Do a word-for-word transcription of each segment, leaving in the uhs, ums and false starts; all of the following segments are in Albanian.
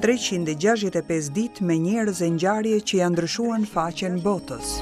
treqind e gjashtëdhjetë e pesë ditë me njerëz e ngjarje që janë ndryshuar në faqen botës.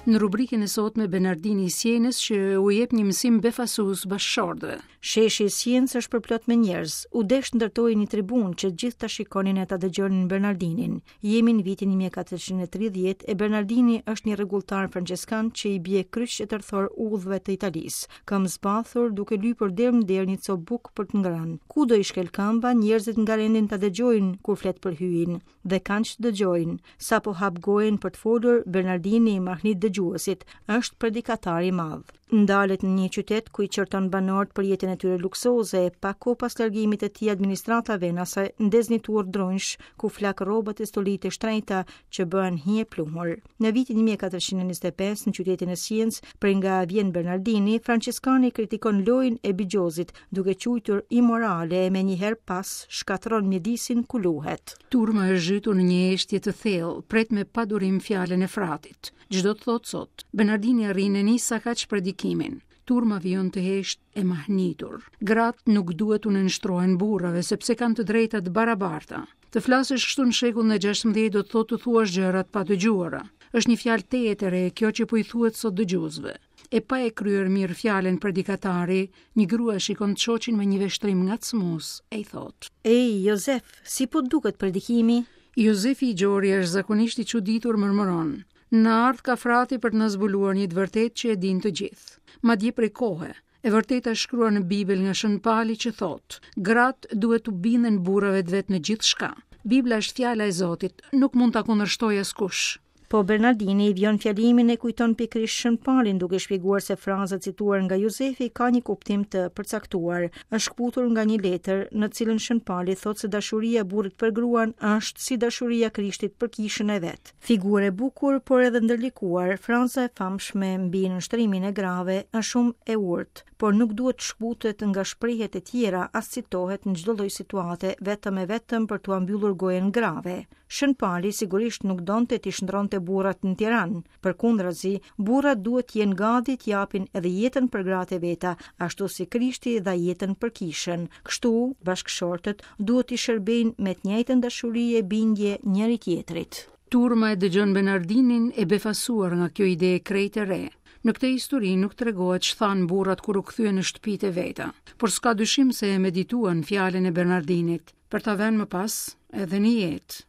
Në rubrikën e sotme Bernardini i Sienës që u jep një mësim befasues bashkëshortëve. Sheshi i Sienës është përplot me njerëz. U desh ndërtoi një tribunë që gjithë ta shikonin e ta dëgjonin Bernardinin. Jemi në vitin një mijë e katërqind e tridhjetë e Bernardini është një rregulltar franceskan që i bie kryq e tërthor udhëve të Italisë. Këmbë zbathur duke lypur derë më derë një copë bukë për të ngrënë. Kudo i shkel këmba, njerëzit ngarendin ta dëgjojnë kur flet për hyjin dhe kanë që dëgjojnë. Sapo hap gojën për të folur, Bernardini i mahnit dëgjuesit, është predikatar i madh. Ndalet në një qytet ku i qërton banorët për jetën e tyre luksoze, e pak kohë pas largimit të tij administrata venase ndez një turr dronjsh ku flak rrobat e stolitë e shtrenjta që bëhen hije pluhur. Në vitin një mijë e katërqind e njëzet e pesë në qytetin e Sienës, prej nga vjen Bernardini, Franceskani kritikon lojën e bixhozit, duke quajtur imorale e menjëherë pas shkatërron mjedisin ku luhet. Turma është zhytur në një heshtje të thellë, pret me padurim fjalën e fratit. Ç'do të thotë sot? Bernardini arrin e nis sakaq predikimin. Turma vijon të hesht e mahnitur. Gratë nuk duhet t'u nënshtrohen burrave sepse kanë të drejta të barabarta. Të flasësh kështu në shekullin e gjashtëmbëdhjetë do të thotë të thuash gjëra të padëgjuara. Është një fjalë tejet e re kjo që po i thuhet sot dëgjuesve. E pa e kryer mirë fjalën predikatari, një grua shikon të shoqin me një vështrim ngacmues e i thotë: Ej, Jozef, si po duket predikimi? Jozefi i gjori është zakonisht i çuditur, murmuron: Në ardh ka frati për të na zbuluar një të vërtetë që e din të gjithë. Madje prej kohe, e vërteta është shkruar në Bibël nga Shën Pali që thotë: Gratë duhet t'u binden burrave të vet në gjithçka. Bibla është fjala e Zotit, nuk mund ta kundërshtojë askush. Po Bernardini i vjen fjalimin e kujton pikërisht Shën Palin, duke shpjeguar se fraza cituar nga Jozefi ka një kuptim të përcaktuar. Është shkputur nga një letër në cilën Shën Pali thotë se dashuria e burrit për gruan është si dashuria e Krishtit për kishën e vet. Figurë e bukur, por edhe ndërlikuar, fraza e famshme mbi nënshtrimin e grave është shumë e urtë, por nuk duhet të shkputet nga shprehjet e tjera, as citohet në çdo lloj situate, vetëm e vetëm për t'ua mbyllur gojën grave. Shën Pali sigurisht nuk donte t'i shndronte burrat në Tiranë. Përkundrazi, burrat duhet të jenë gati të japin edhe jetën për gratë e veta, ashtu si Krishti dha jetën për kishën. Kështu, bashkëshortët duhet t'i shërbejnë me të njëjtën dashuri e bindje njëri tjetrit. Turma e dëgjon Bernardinin e befasuar nga kjo ide e krejt e re. Në këtë histori nuk tregohet ç'than burrat kur u kthyen në shtëpitë e veta, por s'ka dyshim se e medituan fjalën e Bernardinit, për ta vënë më pas edhe në jetë.